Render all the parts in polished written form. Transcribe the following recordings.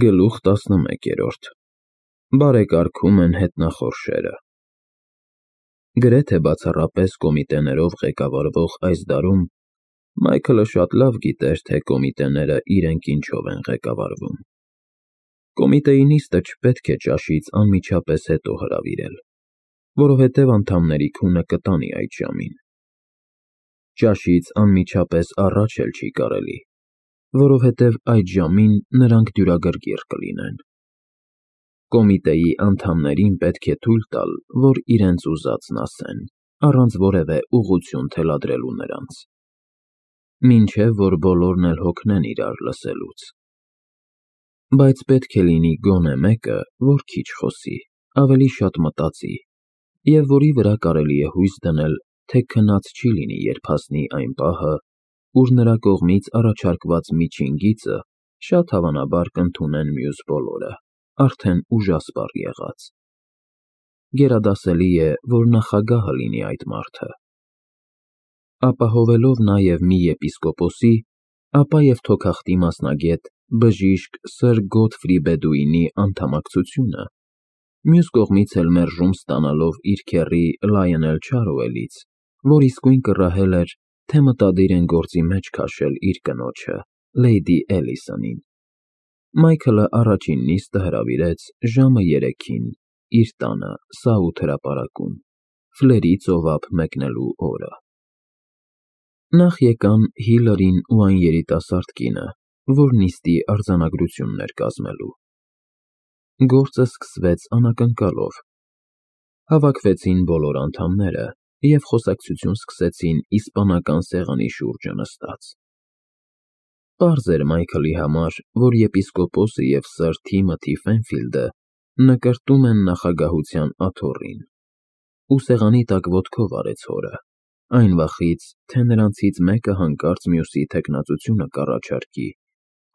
Գլուխ 11 Բարեկարգում են հետնախորշերը։ Գրեթե բացառապես կոմիտեներով ղեկավարվող այս դարում Մայքլը շատ լավ գիտեր, թե կոմիտեները իրենք ինչով են ղեկավարվում։ Կոմիտեի նիստը չպետք է ճաշից անմիջապես հետո հրավիրել, որովհետև անդամների քունը կտանի այդ ժամին։ Ճաշից անմիջապես առաջ էլ չի կարելի, որովհետև այդ ժամին նրանք դյուրագրգիռ կլինեն։ Կոմիտեի անդամներին պետք է թույլ տալ, որ իրենց ուզածն ասեն, առանց որևէ ուղղություն թելադրելու նրանց, մինչև որ բոլորն էլ հոգնեն իրար լսելուց։ Բայց պետք է լինի գոնե մեկը, որ քիչ խոսի, ավելի շատ մտածի, և որի վրա կարելի է հույս դնել, թե քնած չի լինի, երբ հասնի այն պահը, ուր նրա կողմից առաջարկված միջին գիծը շատ հավանաբար կընդունեն մյուս բոլորը, արդեն ուժասպառ եղած։ Գերադասելի է, որ նախագահը լինի այդ մարդը։ Ապահովելով նաև մի եպիսկոպոսի, ապա և թոքախտի մասնագետ, բժիշկ սըր Գոթֆրի Բեդուինի անդամակցությունը, մյուս կողմից էլ մերժում ստանալով իր քեռի Լայոնել Չարոուելից, որ իսկույն կռահել էր, թե մտադիր են գործի մեջ քաշել իր կնոջը, Լեյդի Էլիսոնին, Մայքլը առաջին նիստը հրավիրեց ժամը 3-ին իր տանը Սաութ հրապարակում, Ֆլերի ծովափ մեկնելու օրը։ Նախ եկան Հիլարին ու այն երիտասարդ կինը, որ նիստի արձանագրությունն էր կազմելու։ Գործը սկսվեց անակնկալով։ Հավաքվեցին բոլոր անդամները և խոսակցություն սկսեցին իսպանական սեղանի շուրջը նստած։ Պարզ էր Մայքլի համար, որ եպիսկոպոսը և սըր Թիմոթի Ֆենֆիլդը նկրտում են նախագահության աթոռին, ու սեղանի տակ ոտքով արեց հորը, այն վախից, թե նրանցից մեկը հանկարծ մյուսի թեկնածությունը կառաջարկի,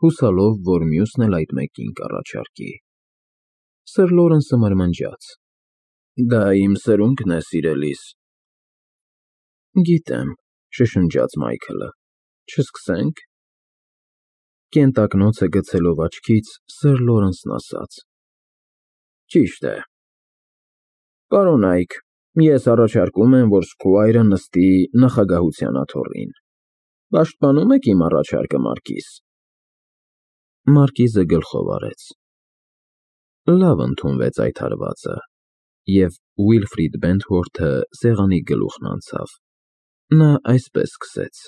հուսալով, որ մյուսն էլ այդ մեկին կառաջարկի։ Սըր Լորենսը մրմնջաց. Դա իմ սրունքն է, սիրելիս։ Գիտեմ, շշնջաց Մայքլը, չսկսե՞նք։ Կենտակնոցը գցելով աչքից, սըր Լորենսն ասաց. Ճիշտ է։ Պարոն Այք, ես առաջարկում եմ, որ Սքուայրը նստի նախագահության աթոռին։ Պաշտպանում եք իմ առաջարկը, Մարկիս։ Մարկիզը գլխով արեց։ Լավ ընդունվեց այդ հարվածը, և Ուիլֆրիդ Բենթվորթը սեղանի գլուխն անցավ։ Նա այսպես սկսեց.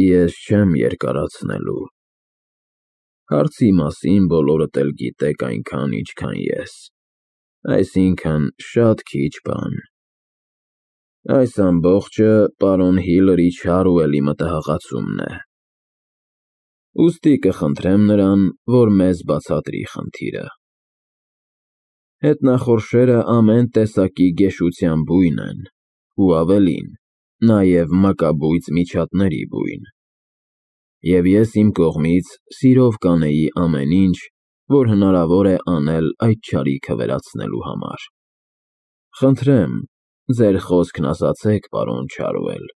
Ես չեմ երկարացնելու։ Հարցի մասին բոլորդ էլ գիտեք այնքան, ինչքան ես, այսինքն շատ քիչ բան։ Այս ամբողջը պարոն Հիլարի Չարոուելի մտահղացումն է։ Ուստի կխնդրեմ նրան, որ մեզ բացատրի խնդիրը։ Հետնախորշերը ամեն տեսակի գեշության բույն են, ու ավելին, նաև մակաբույծ միջատների բույն։ Եվ ես իմ կողմից սիրով կանեի ամեն ինչ, որ հնարավոր է անել այդ չարիքը վերացնելու համար։ Խնդրեմ, ձեր խոսքն ասացեք, պարոն Չարոուել։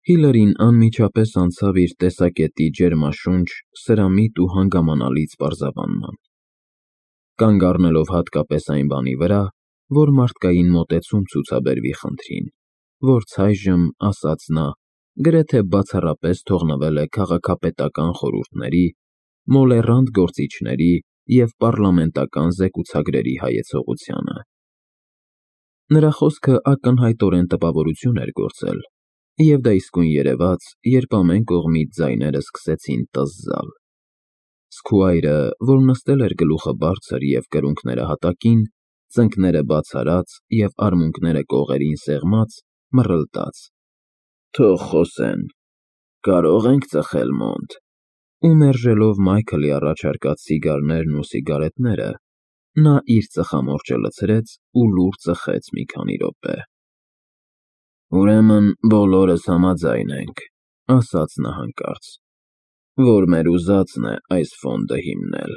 Հիլարին անմիջապես անցավ իր տեսակետի ջերմաշունչ, սրամիտ ու հանգամանալից պարզաբանման։ Կանգ առնելով հատկապես այն բանի վրա, որ մարդկային մոտեցում ցուցաբերվի խնդրին, որ ցայժմ, ասաց նա, գրեթե բացառապես թողնվել է քաղաքապետական խորհուրդների, մոլեռանդ գործիչների և պառլամենտական զեկուցագրերի հայեցողությանը։ Նրա խոսքը ակնհայտորեն տպավորություն էր գործել, և դա իսկույն երևաց, երբ ամեն կողմից ձայները սկսեցին տզզալ։ Սքուայրը, որ նստել էր գլուխը բարձր և կրունկները հատակին, ծնկները բաց արած և արմունկները կողերին սեղմած, մռլտաց. Թող խոսեն, կարող ենք ծխել մոնտ։ Ու մերժելով Մայքլի առաջարկած սիգարներն ու սիգարետները, նա իր ծխամորճը լցրեց ու լուռ ծխեց մի քանի րոպե։ Ուրեմն բոլորս համաձայն ենք, ասաց նա հանկարծ, որ մեր ուզածն է այս ֆոնդը հիմնել։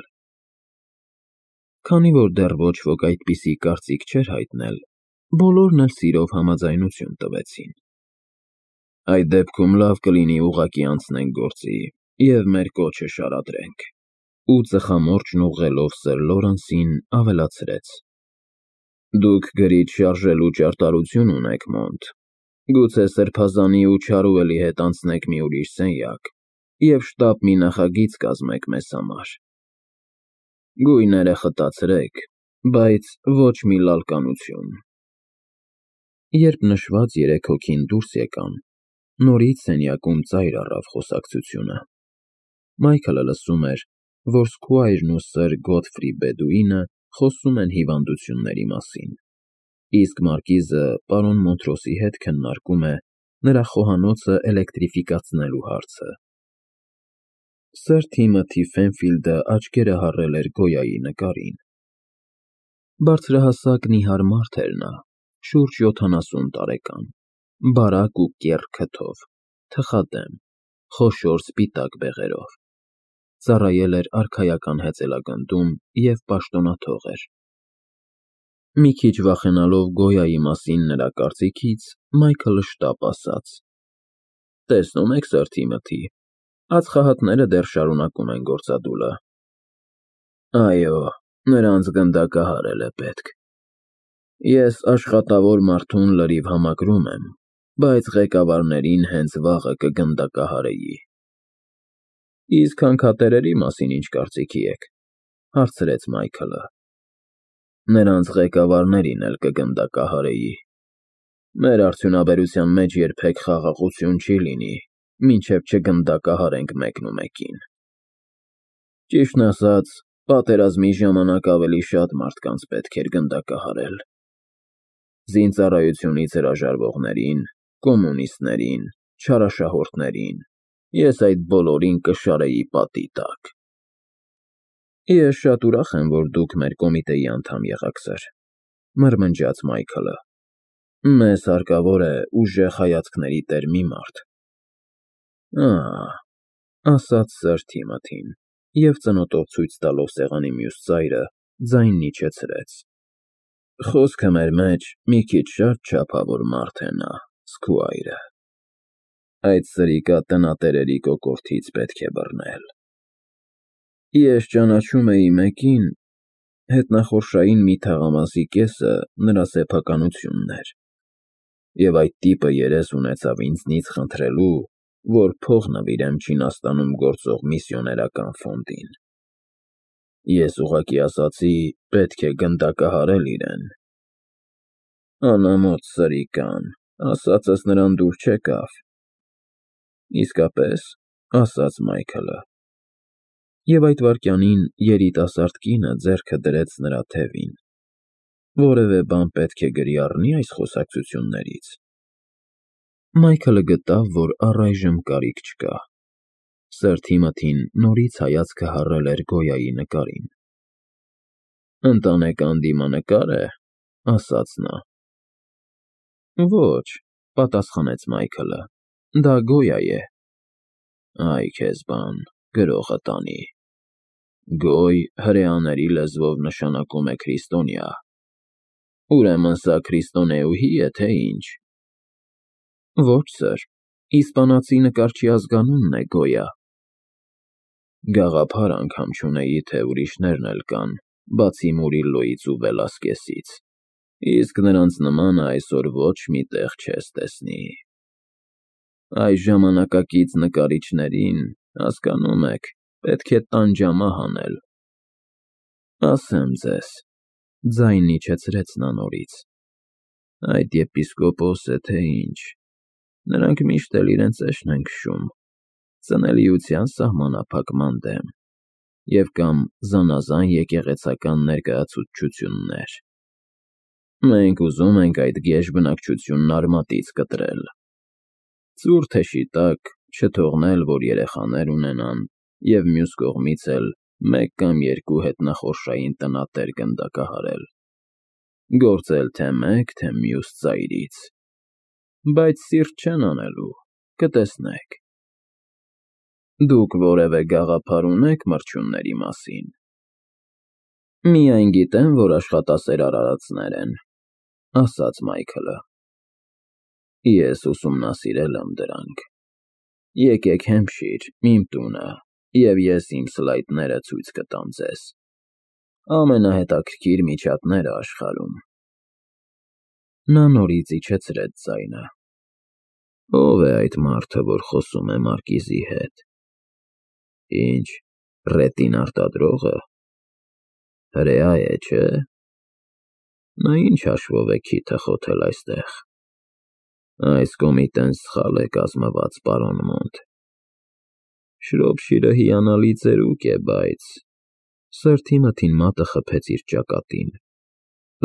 Քանի որ դեռ ոչ ոք այդպիսի կարծիք չէր հայտնել, բոլորն էլ սիրով համաձայնություն տվեցին։ Այդ դեպքում լավ կլինի ուղղակի անցնենք գործի, և մեր կոչը շարադրենք։ Ու ծխամորճն ուղղելով Սր Լորենսին ավելացրեց. Դուք գրիչ շարժելու ճարտարություն ունեք, Մոնտ, գուցե սրբազանի ու Չարուելի հետ անցնեք մի ուրիշ սենյակ և շտապ մի նախագիծ կազմեք մեզ համար։ Գույները խտացրեք, բայց ոչ մի լալկանություն։ Երբ նշված 3 հոգին դուրս եկան, նորից սենյակում ծայր առավ խոսակցությունը։ Մայքլը լսում էր, որ Սքուայրն ու Սր Գոթֆրի Բեդուինը խոսում են հիվանդությունների մասին, իսկ մարկիզը պարոն Մոնտրոսի հետ քննարկում է նրա խոհանոցը էլեկտրիֆիկացնելու հարցը։ Սր Թիմոթի Ֆենֆիլդը աչքերը հառել էր Գոյայի նկարին։ Բարձրահասակ նիհար մարդ էր նա, շուրջ 70 տարեկան, բարակ ու կեռ քթով, թխադեմ, խոշոր սպիտակ բեղերով։ Ծառայել էր արքայական հեծելագնդում և պաշտոնաթող էր։ Մի քիչ վախենալով Գոյայի մասին նրա կարծիքից, Մայքլը շտապ ասաց. Տեսնում եք, Սր Թիմոթի, ածխահատները դեռ շարունակում են գործադուլը։ Այո, նրանց գնդակահարել է պետք։ Ես աշխատավոր մարդուն լրիվ համակրում եմ, բայց ղեկավարներին հենց վաղը կգնդակահարեի։ Իսկ հանքատերերի մասին ինչ կարծիքի եք, հարցրեց Մայքլը։ Նրանց ղեկավարներին էլ կգնդակահարեի։ Մեր արդյունաբերության մեջ երբեք խաղաղություն չի լինի, մինչև չգնդակահարենք մեկնումեկին։ Ճիշտն ասած, պատերազմի ժամանակ ավելի շատ մարդկանց պետք էր գնդակահարել։ Զինծառայությունից հրաժարվողներին, կոմունիստներին, չարաշահորդներին, ես այդ բոլորին կշարեի պատի տակ։ Ես շատ ուրախ եմ, որ դուք մեր կոմիտեի անդամ եղաք, Սր, մրմնջաց Մայքլը։ Մեզ հարկավոր է ուժեղ հայացքների տեր մի մարդ։ Ասաց Սր Թիմոթին, և ծնոտով ցույց տալով սեղանի մյուս ծայրը, ձայնն իջեցրեց։ Խոսքը մեր մեջ մի քիչ շատ չափավոր մարդ է նա, Սքուայրը։ Այդ սրիկա տնատերերի կոկորդից պետք է բռնել։ Ես ճանաչում էի մեկին, հետնախորշային մի թաղամասի կեսը նրա սեփականությունն էր, և այդ տիպը երես ունեցավ ինձնից խնդրելու, որ փող նվիրեմ Չինաստանում գործող միսիոներական ֆոնդին։ Ես ուղղակի ասացի, պետք է գնդակահարել իրեն։ Անամոթ սրիկան, ասածս նրան դուր չեկավ։ Իսկապես, ասաց Մայքլը։ Եվ այդ վայրկյանին երիտասարդ կինը ձեռքը դրեց նրա թևին։ Որևէ բան պետք է գրի առնի այս խոսակցություններից։ Մայքլը գտավ, որ առայժմ կարիք չկա։ Սր Թիմոթին նորից հայացքը հառել էր Գոյայի նկարին։ Ընտանեկան դիմանկար է, ասաց նա։ Ոչ, պատասխանեց Մայքլը, դա Գոյա է։ Այ քեզ բան, գրողը տանի։ Գոյ հրեաների լեզվով նշանակում է քրիստոնյա։ Ուրեմն սա քրիստոնեուհի է, թե ինչ։ Ոչ, Սր, իսպանացի նկարչի ազգանունն է Գոյա։ Գաղափար անգամ չունեի, թե ուրիշներն էլ կան, բացի Մուրիլլոյից ու Վելասկեսից, իսկ նրանց նմանը այսօր ոչ մի տեղ չես տեսնի։ Այս ժամանակակից նկարիչներին, հասկանում եք, պետք է տանջամահ անել։ Ասեմ ձեզ, ձայնն իջեցրեց նա նորից, այդ եպիսկոպոս է, թե ինչ, նրանք միշտ էլ իրենց էշն են քշում, ծնելիության սահմանափակման դեմ, և կամ զանազան եկեղեցական ներկայացուցչություններ։ Մենք ուզում ենք այդ գեշ բնակչությունն արմատից կտրել։ Ծուռ թեշի տակ չթողնել, որ երեխաներ ունենան, և մյուս կողմից էլ մեկ կամ երկու հետնախորշային տնատեր գնդակահարել։ Գործել թե մեկ, թե մյուս ծայրից։ Բայց սիրտ չեն անելու, կտեսնեք։ Դուք որևէ գաղափար ունե՞ք մրջյունների մասին։ Միայն գիտեմ, որ աշխատասեր արարածներ են, ասաց Մայքլը։ Ես ուսումնասիրել եմ դրանք։ Եկեք Հեմփշիր, իմ տունը, և ես իմ սլայդները ցույց կտամ ձեզ։ Ամենահետաքրքիր միջատները աշխարհում։ Նա նորից իջեցրեց ձայնը։ Ո՞վ է այդ մարդը, որ խոսում է Մարկիզի հետ։ Ինչ, ռետին արտադրողը։ Հրեա է, չէ՞։ Նա ինչ հաշվով է քիթը խոթել այստեղ։ Այս կոմիտեն սխալ է կազմված, պարոն Մոնտ։ Շրոփշիրը հիանալի ծերուկ է, բայց… Սրտի մթին մատը խփեց իր ճակատին։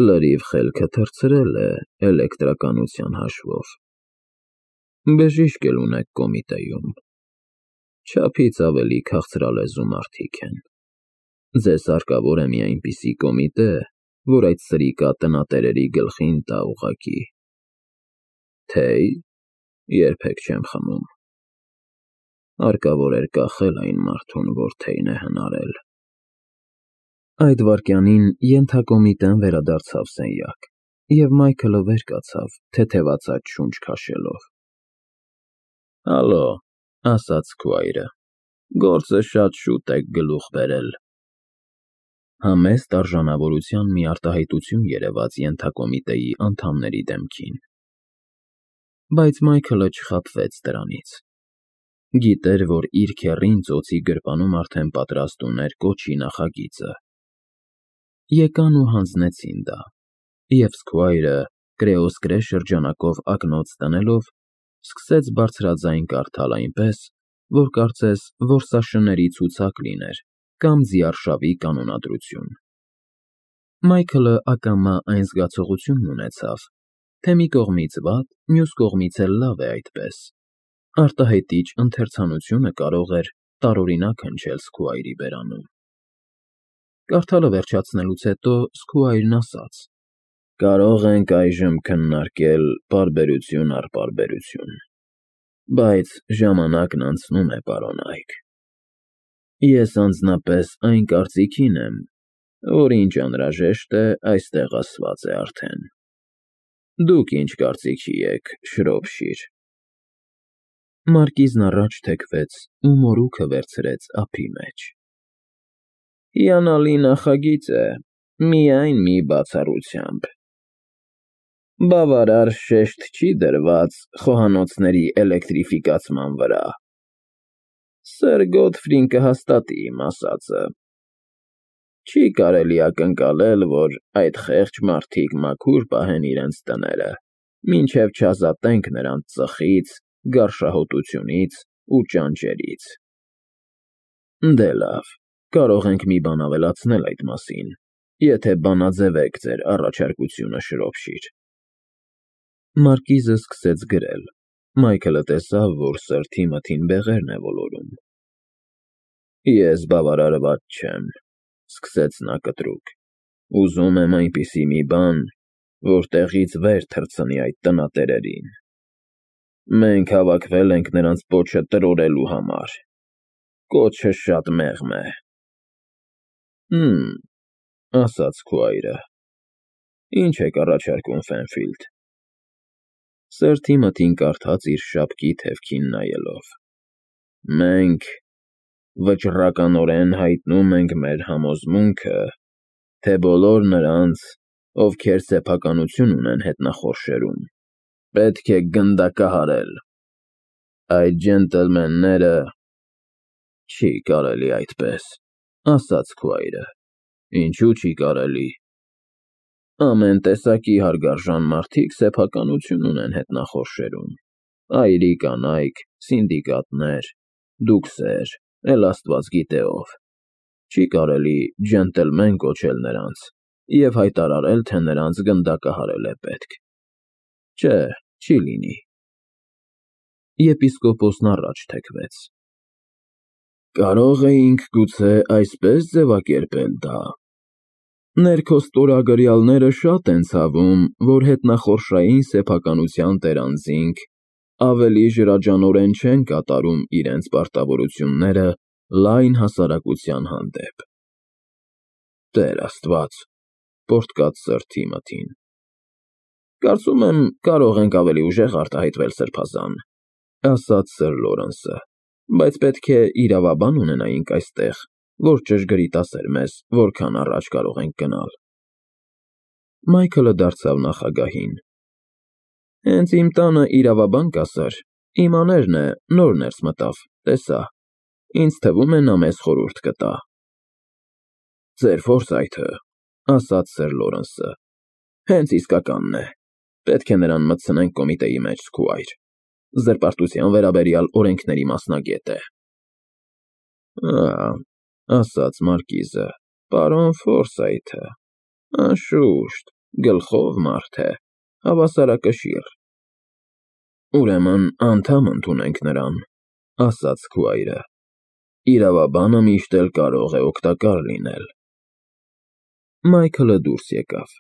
Լրիվ խելքը թռցրել է էլեկտրականության հաշվով։ Բժիշկ էլ ունեք կոմիտեում։ Չափից ավելի քաղցրալեզու մարդիկ են։ Ձեզ հարկավոր է մի այնպիսի կոմիտե, որ այդ սրիկա տնատերերի գլխին տա ուղղակի։ Թեյ, երբեք չեմ խմում։ Հարկավոր էր կախել այն մարդուն, որ թեյն է հնարել։ Այդ վայրկյանին ենթակոմիտեն վերադարձավ սենյակ, և Մայքլը վեր կացավ, թեթևացած շունչ քաշելով։ Հալո, ասաց Սքվայրը, գործը շատ շուտ եք գլուխ բերել։ Համեստ արժանավորության մի արտահայտություն երևաց ենթակոմիտեի անդամների դեմքին։ Բայց Մայքլը չխաբվեց դրանից։ Գիտեր, որ իր քեռին ծոցի գրպանում արդեն պատրաստ ուներ կոչի նախագիծը։ Եկան ու հանձնեցին դա, և Սքվայրը, կրեոսկրե շրջանակով ակնոց տնելով, սկսեց բարձրաձայն կարդալ այնպես, որ կարծես որսաշների ցուցակ լիներ կամ ձիարշավի կանոնադրություն։ Մայքլը ակամա այն զգացողությունն ունեցավ, թե մի կողմից վատ, մյուս կողմից էլ լավ է այդպես։ Արտահայտիչ ընթերցանությունը կարող էր տարօրինակ հնչել Սքվայրի բերանում։ Կարդալը վերջացնելուց հետո Սքվայրն ասաց. Կարող ենք այժմ քննարկել պարբերություն առ պարբերություն, բայց ժամանակն անցնում է, պարոն Այք։ Ես անձնապես այն կարծիքին եմ, որ ինչ անհրաժեշտ է, այստեղ ասված է արդեն։ Դուք ինչ կարծիքի եք, Շրոփշիր։ Մարկիզն առաջ թեքվեց ու մորուքը վերցրեց ափի մեջ։ Հիանալի նախագիծ է, միայն մի բացառությամբ։ Բավարար շեշտ չի դրված խոհանոցների էլեկտրիֆիկացման վրա։ Սըր Գոթֆրին կհաստատի իմ ասածը։ Չի կարելի ակնկալել, որ այդ խեղճ մարդիկ մաքուր պահեն իրենց տները, մինչև չազատենք նրանց ծխից, գարշահոտությունից ու ճանճերից։ Դե լավ, կարող ենք մի բան ավելացնել այդ մասին, եթե բանաձևեք ձեր առաջարկությունը, Շրոփշիր։ Մարկիզը սկսեց գրել։ Մայքլը տեսավ, որ սրտի մթին բեղերն է ոլորում։ Ես բավարարված չեմ, սկսեց նա կտրուկ։ Ուզում եմ այնպիսի մի բան, որ տեղից վեր թռցնի այդ տնատերերին։ Մենք հավաքվել ենք նրանց պոչը տրորելու համար։ Կոչը շատ մեղմ է։ Ասաց Սքվայրը։ Ինչ եք առաջարկում, Ֆենֆիլդ։ Սրտի մթին կարդաց իր շապկի թևքին նայելով։ Մենք վճռականորեն հայտնում ենք մեր համոզմունքը, թե բոլոր նրանց, ովքեր սեփականություն ունեն հետնախորշերում, պետք է գնդակահարել։ Այդ ջենտլմենները… Չի կարելի այդպես, ասաց Սքվայրը։ Ինչու չի կարելի։ Ամեն տեսակի հարգարժան մարդիկ սեփականություն ունեն հետնախորշերում։ Այրի կանայք, սինդիկատներ, դուքսեր, էլ Աստված գիտե ով։ Չի կարելի ջենտլմեն կոչել նրանց և հայտարարել, թե նրանց գնդակահարել է պետք։ Չէ, չի լինի։ Եպիսկոպոսն առաջ թեքվեց։ Կարող էինք գուցե այսպես ձևակերպել դա. Ներքո ստորագրյալները շատ են ցավում, որ հետնախորշային սեփականության տերանզինք ավելի ժրաջանորեն չեն կատարում իրենց պարտավորությունները լայն հասարակության հանդեպ։ Տեր Աստված, պոռթկաց սրտի մթին։ Կարծում եմ, կարող ենք ավելի ուժեղ արտահայտվել, Սրբազան։ ասաց Սր Լորենսը, բայց պետք է իրավաբան ունենայինք այստեղ, որ ճշգրիտ ասեր մեզ, որքան առաջ կարող ենք գնալ։ Մայքլը դարձավ նախագահին։ Հենց իմ տանը իրավաբան կա, Սըր, իմ աներն է, նոր ներս մտավ, տեսա։ Ինձ թվում է նա մեզ խորհուրդ կտա։ Ձեր ֆորսայթը, ասաց Սր Լորենսը, հենց իսկականն է։ Պետք է նրան մտցնենք կոմիտեի մեջ, Սքուայր։ Զրպարտության վերաբերյալ օրենքների մասնագետ է։ Ասաց Մարկիզը, պարոն Ֆորսայթը, անշուշտ, գլխով մարդ է, հավասարակշիռ։ Ուրեմն անդամ ընդունենք նրան, ասաց Սքուայրը։ Իրավաբանը միշտ էլ կարող է օգտակար լինել։ Մայքլը դուրս եկավ։